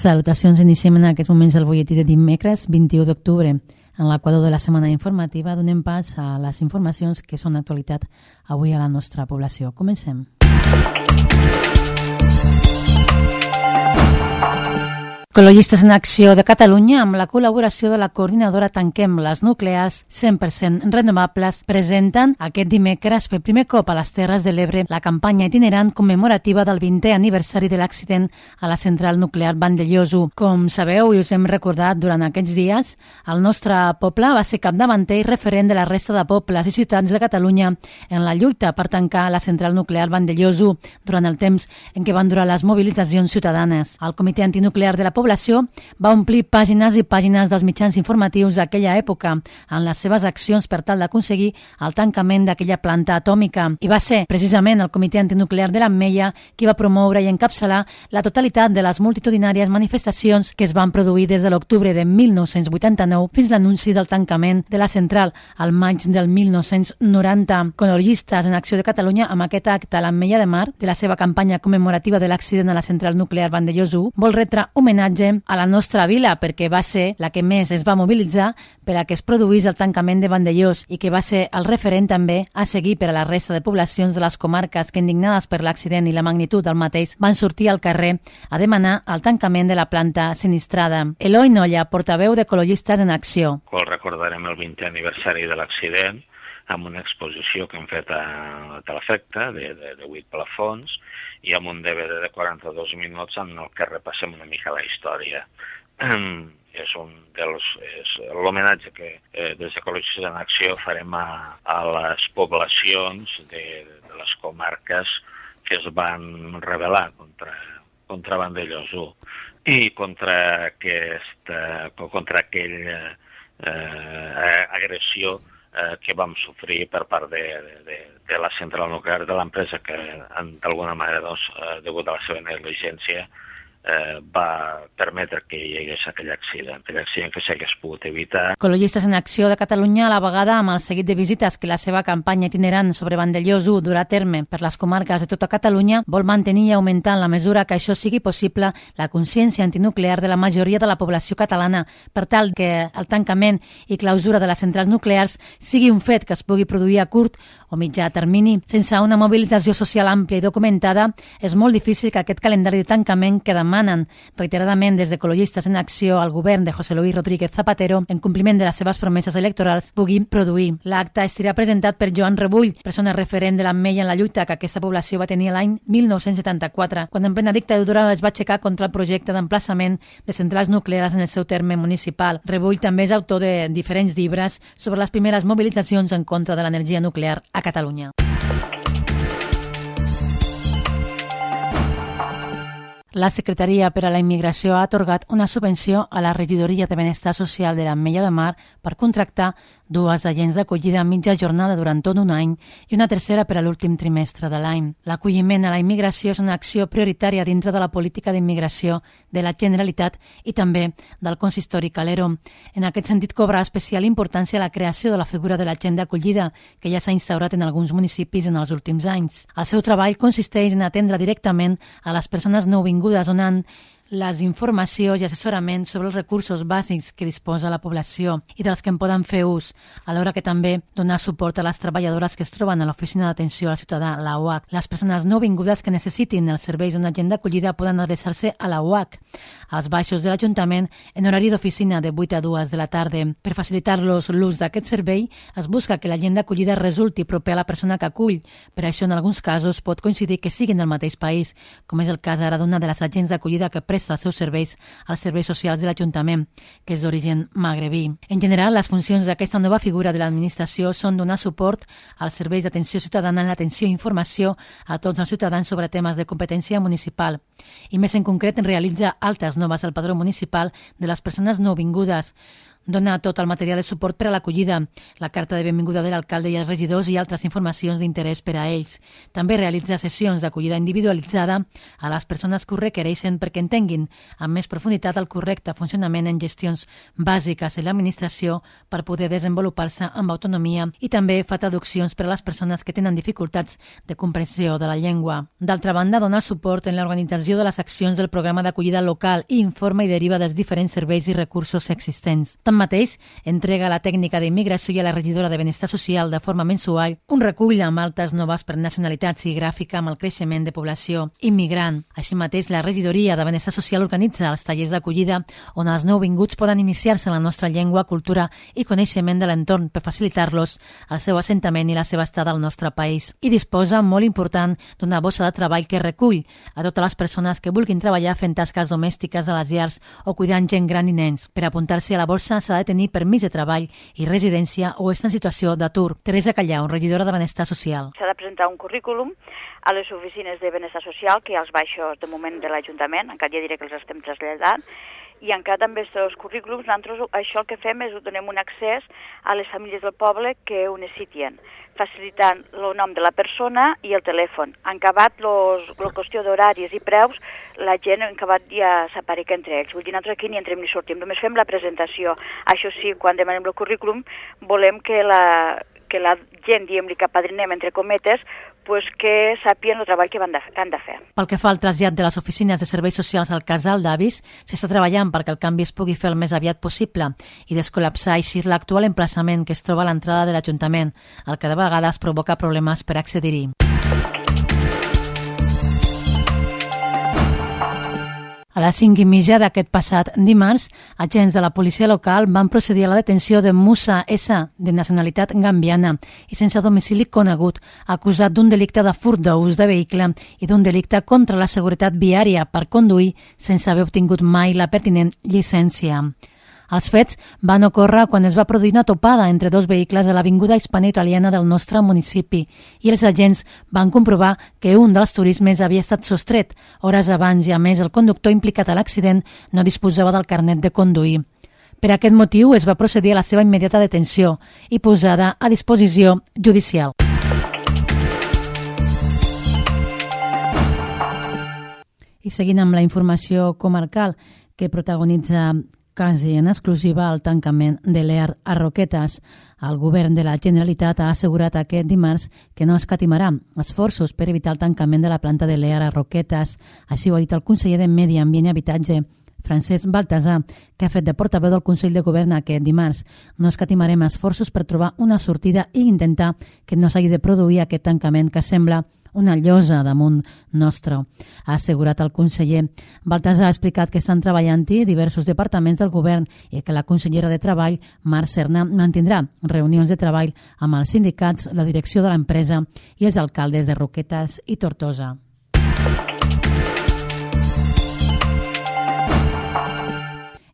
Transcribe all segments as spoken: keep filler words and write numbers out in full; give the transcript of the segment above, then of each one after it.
Salutacions, iniciem en aquests moments el butlletí de dimecres vint-i-u d'octubre. En l'equador de la setmana informativa donem pas a les informacions que són d'actualitat avui a la nostra població. Comencem. Ecologistes en Acció de Catalunya, amb la col·laboració de la coordinadora Tanquem les Nuclears cent per cent renovables, presenten aquest dimecres per primer cop a les Terres de l'Ebre la campanya itinerant commemorativa del vintè aniversari de l'accident a la central nuclear Vandellòs u. Com sabeu i us hem recordat durant aquests dies, el nostre poble va ser capdavanter i referent de la resta de pobles i ciutats de Catalunya en la lluita per tancar la central nuclear Vandellòs u durant el temps en què van durar les mobilitzacions ciutadanes. El Comitè Antinuclear de la població va omplir pàgines i pàgines dels mitjans informatius d'aquella època en les seves accions per tal d'aconseguir el tancament d'aquella planta atòmica. I va ser precisament el Comitè Antinuclear de l'Ametlla qui va promoure i encapçalar la totalitat de les multitudinàries manifestacions que es van produir des de l'octubre de mil nou-cents vuitanta-nou fins l'anunci del tancament de la central al maig del mil nou-cents noranta. Ecologistes en Acció de Catalunya, amb aquest acte a l'Ametlla de Mar de la seva campanya commemorativa de l'accident a la central nuclear Vandellòs u, vol retre homenatge a la nostra vila perquè va ser la que més es va mobilitzar per a que es produís el tancament de Vandellòs i que va ser el referent també a seguir per a la resta de poblacions de les comarques que, indignades per l'accident i la magnitud del mateix, van sortir al carrer a demanar el tancament de la planta sinistrada. Eloi Nolla, portaveu d'Ecologistes en Acció. Qual recordarem el vintè aniversari de l'accident amb una exposició que hem fet a, a l'efecte de, de, de vuit plafons i amb un D V D de quaranta-dos minuts en el que repassem una mica la història. És un dels és l'homenatge que eh, des d'Ecologistes en Acció farem a, a les poblacions de, de les comarques que es van rebel·lar contra, contra Vandellòs u i contra, aquesta, contra aquella eh, agressió eh, que vam sofrir per part de, de, de la central nuclear de l'empresa que d'alguna manera, doncs, eh, degut a la seva negligència, Eh, va permetre que hi hagués aquell accident, aquell accident que s'hagués pogut evitar. Ecologistes en Acció de Catalunya, a la vegada amb el seguit de visites que la seva campanya itinerant sobre Vandellòs u durà a terme per les comarques de tota Catalunya, vol mantenir i augmentar en la mesura que això sigui possible la consciència antinuclear de la majoria de la població catalana per tal que el tancament i clausura de les centrals nuclears sigui un fet que es pugui produir a curt o mitjà termini. Sense una mobilització social àmplia i documentada, és molt difícil que aquest calendari de tancament que demanen reiteradament des d'Ecologistes en Acció al govern de José Luis Rodríguez Zapatero, en compliment de les seves promeses electorals, pugui produir. L'acte estarà presentat per Joan Rebull, persona referent de l'Ametlla en la lluita que aquesta població va tenir l'any mil nou-cents setanta-quatre, quan en plena dictadura es va aixecar contra el projecte d'emplaçament de centrals nuclears en el seu terme municipal. Rebull també és autor de diferents llibres sobre les primeres mobilitzacions en contra de l'energia nuclear a Catalunya. La Secretaria per a la Immigració ha atorgat una subvenció a la Regidoria de Benestar Social de l'Ametlla de Mar per contractar dues agents d'acollida a mitja jornada durant tot un any i una tercera per a l'últim trimestre de l'any. L'acolliment a la immigració és una acció prioritària dintre de la política d'immigració de la Generalitat i també del Consistori Calero. En aquest sentit, cobra especial importància la creació de la figura de l'agent d'acollida, que ja s'ha instaurat en alguns municipis en els últims anys. El seu treball consisteix en atendre directament a les persones nouvingudes donant les informacions i assessorament sobre els recursos bàsics que disposa la població i dels que en poden fer ús, alhora que també donar suport a les treballadores que es troben a l'Oficina d'Atenció al Ciutadà, la U H. Les persones nouvingudes que necessitin els serveis d'un agent d'acollida poden adreçar-se a la U H, als baixos de l'Ajuntament, en horari d'oficina de vuit a dues de la tarda. Per facilitar-los l'ús d'aquest servei, es busca que l'agent d'acollida resulti proper a la persona que acull. Per això, en alguns casos, pot coincidir que siguin del mateix país, com és el cas ara d'una de les agents d'acollida que presta els seus serveis als serveis socials de l'Ajuntament, que és d'origen magrebí. En general, les funcions d'aquesta nova figura de l'administració són donar suport als serveis d'atenció ciutadana en l'atenció i informació a tots els ciutadans sobre temes de competència municipal. I més en concret, realitza altes noves al padró municipal de les persones nouvingudes, dona tot el material de suport per a l'acollida, la carta de benvinguda de l'alcalde i els regidors i altres informacions d'interès per a ells. També realitza sessions d'acollida individualitzada a les persones que ho requereixen perquè entenguin amb més profunditat el correcte funcionament en gestions bàsiques en l'administració per poder desenvolupar-se amb autonomia, i també fa traduccions per a les persones que tenen dificultats de comprensió de la llengua. D'altra banda, dona suport en l'organització de les accions del programa d'acollida local i informa i deriva dels diferents serveis i recursos existents. Tanmateix, entrega a la tècnica d'immigració i a la regidora de Benestar Social de forma mensual un recull amb altes noves per nacionalitats i gràfica amb el creixement de població immigrant. Així mateix, la regidoria de Benestar Social organitza els tallers d'acollida on els nouvinguts poden iniciar-se en la nostra llengua, cultura i coneixement de l'entorn per facilitar-los el seu assentament i la seva estada al nostre país. I disposa, molt important, d'una bossa de treball que recull a totes les persones que vulguin treballar fent tasques domèstiques a les llars o cuidant gent gran i nens. Per apuntar-se a la borsa s'ha de tenir permís de treball i residència o estar en situació d'atur. Teresa Callau, regidora de Benestar Social. S'ha de presentar un currículum a les oficines de Benestar Social, que hi ha els baixos de moment de l'Ajuntament, encara ja diré que els estem traslladant, i encara també aquests currículums, nosaltres això el que fem és donem un accés a les famílies del poble que ho necessiten, facilitant el nom de la persona i el telèfon. En acabat la qüestió d'horaris i preus, la gent en acabat ja s'apareca entre ells. Vull dir, nosaltres aquí ni entrem ni sortim, només fem la presentació. Això sí, quan demanem el currículum, volem que la, que la gent, diguem-li, que apadrinem, entre cometes, pues que sàpien el treball que han de, han de fer. Pel que fa al trasllat de les oficines de serveis socials al casal d'avis, s'està treballant perquè el canvi es pugui fer el més aviat possible i descol·lapsar així l'actual emplaçament que es troba a l'entrada de l'Ajuntament, el que de vegades provoca problemes per accedir-hi. A les cinc i mitja d'aquest passat dimarts, agents de la policia local van procedir a la detenció de Musa S, de nacionalitat gambiana i sense domicili conegut, acusat d'un delicte de furt d'ús de vehicle i d'un delicte contra la seguretat viària per conduir sense haver obtingut mai la pertinent llicència. Els fets van ocórrer quan es va produir una topada entre dos vehicles a l'avinguda hispano-italiana del nostre municipi i els agents van comprovar que un dels turismes havia estat sostret hores abans i, a més, el conductor implicat a l'accident no disposava del carnet de conduir. Per aquest motiu es va procedir a la seva immediata detenció i posada a disposició judicial. I seguint amb la informació comarcal que protagonitza quasi en exclusiva el tancament de l'E A R a Roquetes. El govern de la Generalitat ha assegurat aquest dimarts que no escatimarà esforços per evitar el tancament de la planta de l'E A R a Roquetes. Així ho ha dit el conseller de Medi Ambient i Habitatge, Francesc Baltasar, que ha fet de portaveu del Consell de Govern aquest dimarts. No escatimarem esforços per trobar una sortida i intentar que no s'hagi de produir aquest tancament que sembla una llosa damunt nostre, ha assegurat el conseller. Baltasar ha explicat que estan treballant-hi diversos departaments del govern i que la consellera de Treball, Mar Serna, mantindrà reunions de treball amb els sindicats, la direcció de l'empresa i els alcaldes de Roquetes i Tortosa.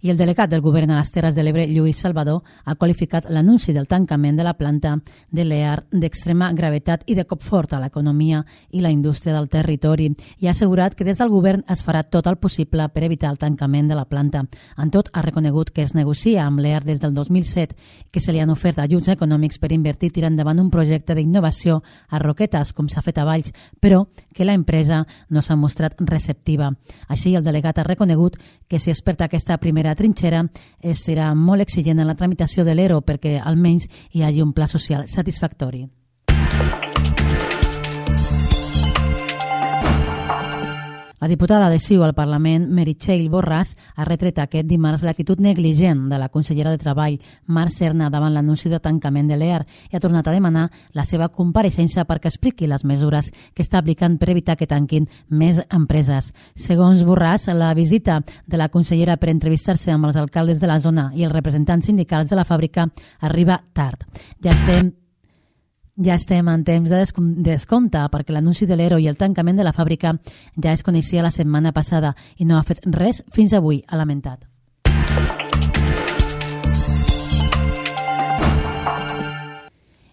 I el delegat del govern a les Terres de l'Ebre, Lluís Salvador, ha qualificat l'anunci del tancament de la planta de l'E A R d'extrema gravetat i de cop fort a l'economia i la indústria del territori i ha assegurat que des del govern es farà tot el possible per evitar el tancament de la planta. En tot, ha reconegut que es negocia amb l'E A R des del dos mil set, que se li han ofert ajuts econòmics per invertir tirant endavant un projecte d'innovació a Roquetes, com s'ha fet a Valls, però que la empresa no s'ha mostrat receptiva. Així, el delegat ha reconegut que si es perd aquesta primera trinxera serà molt exigent en la tramitació de l'E R O perquè almenys hi hagi un pla social satisfactori. La diputada de C I U al Parlament, Meritxell Borràs, ha retret aquest dimarts l'actitud negligent de la consellera de Treball, Mar Serna, davant l'anunci de tancament de l'E A R i ha tornat a demanar la seva compareixença perquè expliqui les mesures que està aplicant per evitar que tanquin més empreses. Segons Borràs, la visita de la consellera per entrevistar-se amb els alcaldes de la zona i els representants sindicals de la fàbrica arriba tard. Ja estem Ja estem en temps de descompte perquè l'anunci de l'E R O i el tancament de la fàbrica ja es coneixia la setmana passada i no ha fet res fins avui, ha lamentat.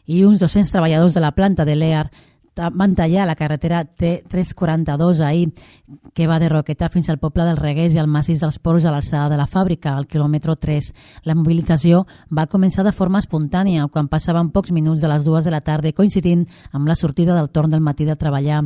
I uns dos-cents treballadors de la planta de l'E A R van tallar la carretera T tres cents quaranta-dos ahir, que va de Roquetes fins al poble del Reguers i al massís dels Poros a l'alçada de la fàbrica, al quilòmetre tres. La mobilització va començar de forma espontània, quan passaven pocs minuts de les dues de la tarda, coincidint amb la sortida del torn del matí de treballar.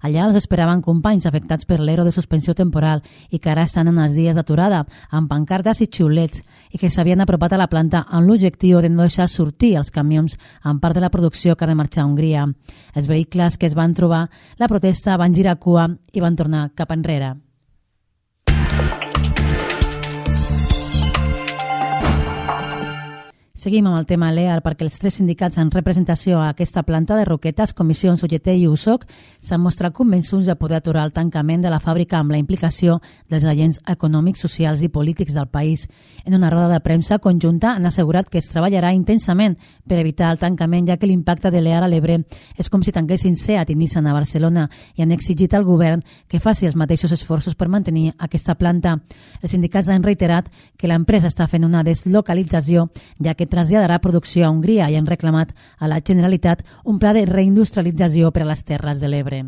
Allà els esperaven companys afectats per l'ero de suspensió temporal i que ara estan en els dies d'aturada, amb pancartes i xiulets, i que s'havien apropat a la planta amb l'objectiu de no deixar sortir els camions en part de la producció que ha de marxar a Hongria. Els vehicles que es van trobar la protesta van girar cua i van tornar cap enrere. Seguim amb el tema Lear perquè els tres sindicats en representació a aquesta planta de Roquetes, Comissions, U G T i U S O C, s'han mostrat convençuts de poder aturar el tancament de la fàbrica amb la implicació dels agents econòmics, socials i polítics del país. En una roda de premsa conjunta han assegurat que es treballarà intensament per evitar el tancament, ja que l'impacte de Lear a l'Ebre és com si tanquessin SEAT i Nissan a Barcelona, i han exigit al govern que faci els mateixos esforços per mantenir aquesta planta. Els sindicats han reiterat que l'empresa està fent una deslocalització, ja que traslladarà producció a Hongria, i han reclamat a la Generalitat un pla de reindustrialització per a les Terres de l'Ebre.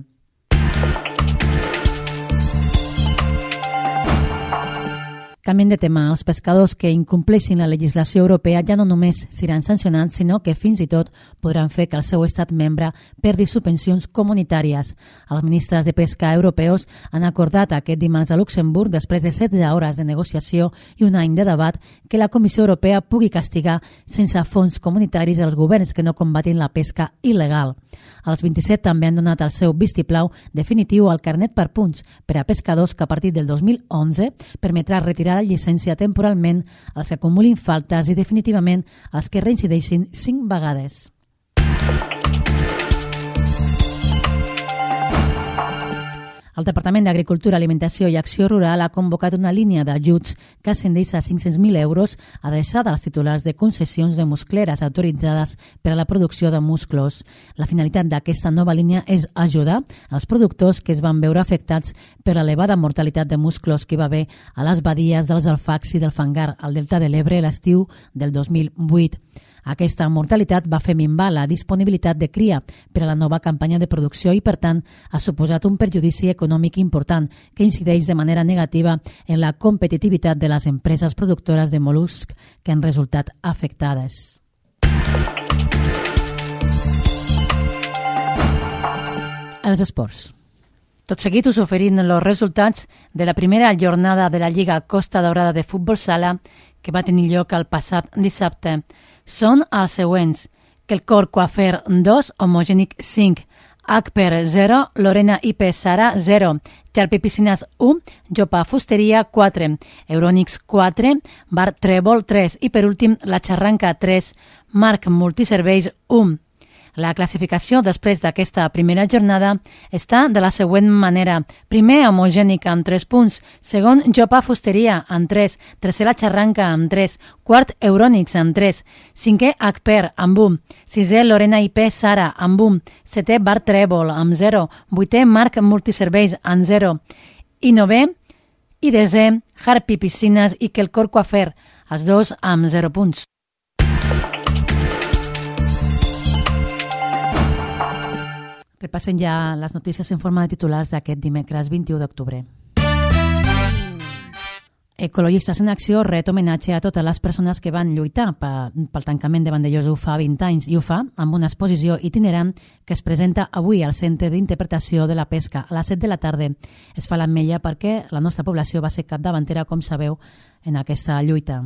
Canviem de tema. Els pescadors que incompleixin la legislació europea ja no només seran sancionats, sinó que fins i tot podran fer que el seu estat membre perdi subvencions comunitàries. Els ministres de pesca europeus han acordat aquest dimarts a Luxemburg, després de setze hores de negociació i un any de debat, que la Comissió Europea pugui castigar sense fons comunitaris els governs que no combatin la pesca il·legal. Els vint-i-set també han donat el seu vistiplau definitiu al carnet per punts per a pescadors que a partir del dos mil onze permetrà retirar la llicència temporalment als que acumulin faltes i definitivament als que reincideixin cinc vegades. El Departament d'Agricultura, Alimentació i Acció Rural ha convocat una línia d'ajuts que ascendeix a cinc-cents mil euros adreçada als titulars de concessions de muscleres autoritzades per a la producció de musclos. La finalitat d'aquesta nova línia és ajudar els productors que es van veure afectats per l'elevada mortalitat de musclos que hi va haver a les badies dels Alfacs i del Fangar al Delta de l'Ebre l'estiu del dos mil vuit. Aquesta mortalitat va fer minvar la disponibilitat de cria per a la nova campanya de producció i, per tant, ha suposat un perjudici econòmic important que incideix de manera negativa en la competitivitat de les empreses productores de mol·luscs que han resultat afectades. Els esports. Tot seguit us oferim els resultats de la primera jornada de la Lliga Costa Daurada de Futbol Sala que va tenir lloc el passat dissabte. Són els següents: Quelcor Coafer dos, Homogènic cinc, Acper zero, Lorena I P Sara zero, Charpi Piscines u, Jopa Fusteria quatre, Eurònix quatre, Bar Trèvol tres i per últim La Xarranca tres, Marc Multiserveis u. La classificació després d'aquesta primera jornada està de la següent manera. Primer, Homogènic amb tres punts. Segon, Jopa Fusteria amb tres. Tercer, La Xarranca amb tres. Quart, Eurònix amb tres. Cinquè, Acper amb un. Sisè, Lorena I P Sara amb un. Setè, Bar Trèvol amb zero. Vuitè, Marc Multiserveis amb zero. I novè i desè, Harpi Piscines i Quelcor Coafer, els dos amb zero punts. Repassen ja les notícies en forma de titulars d'aquest dimecres vint-i-u d'octubre. Ecologistes en Acció ret homenatge a totes les persones que van lluitar pel tancament de Vandellòs U fa vint anys i ho fa amb una exposició itinerant que es presenta avui al Centre d'Interpretació de la Pesca a les set de la tarda. Es fa l'Ametlla perquè la nostra població va ser capdavantera, com sabeu, en aquesta lluita.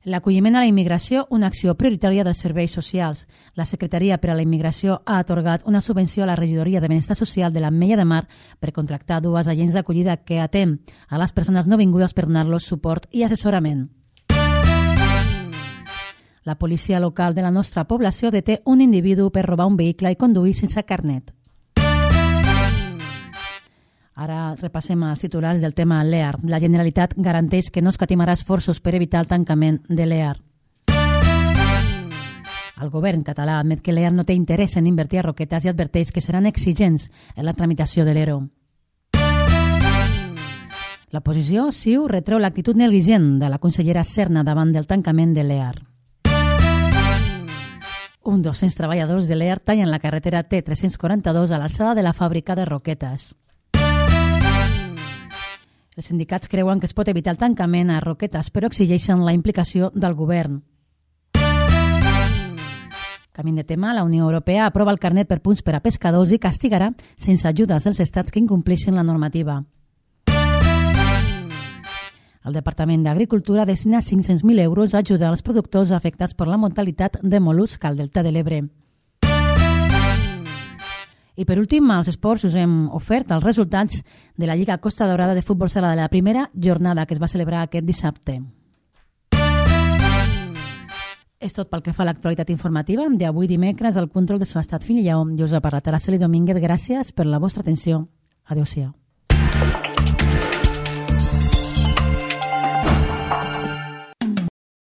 L'acolliment a la immigració, una acció prioritària dels serveis socials. La Secretaria per a la Immigració ha atorgat una subvenció a la Regidoria de Benestar Social de l'Ametlla de Mar per contractar dues agents d'acollida que atén a les persones nouvingudes per donar-los suport i assessorament. La policia local de la nostra població deté un individu per robar un vehicle i conduir sense carnet. Ara repassem els titulars del tema Lear. La Generalitat garanteix que no escatimarà esforços per evitar el tancament de Lear. El govern català admet que Lear no té interès en invertir a Roquetes i adverteix que seran exigents en la tramitació de l'E R O. L'oposició, CiU, retreu l'actitud negligent de la consellera Serna davant del tancament de Lear. uns dos-cents treballadors de l'E R tallen la carretera T tres-cents quaranta-dos a l'alçada de la fàbrica de Roquetes. Els sindicats creuen que es pot evitar el tancament a Roquetes, però exigeixen la implicació del govern. Canviant de tema, la Unió Europea aprova el carnet per punts per a pescadors i castigarà sense ajudes dels estats que incompleixin la normativa. El Departament d'Agricultura destina cinc-cents mil euros a ajudar els productors afectats per la mortalitat de mol·lusc al Delta de l'Ebre. I per últim, als esports us hem ofert els resultats de la Lliga Costa Daurada de Futbol Sala de la primera jornada que es va celebrar aquest dissabte. És tot pel que fa a l'actualitat informativa d'avui dimecres. El control de so ha estat Fini Lleó i us ha parlat Araceli Domínguez. Gràcies per la vostra atenció. Adéu-siau.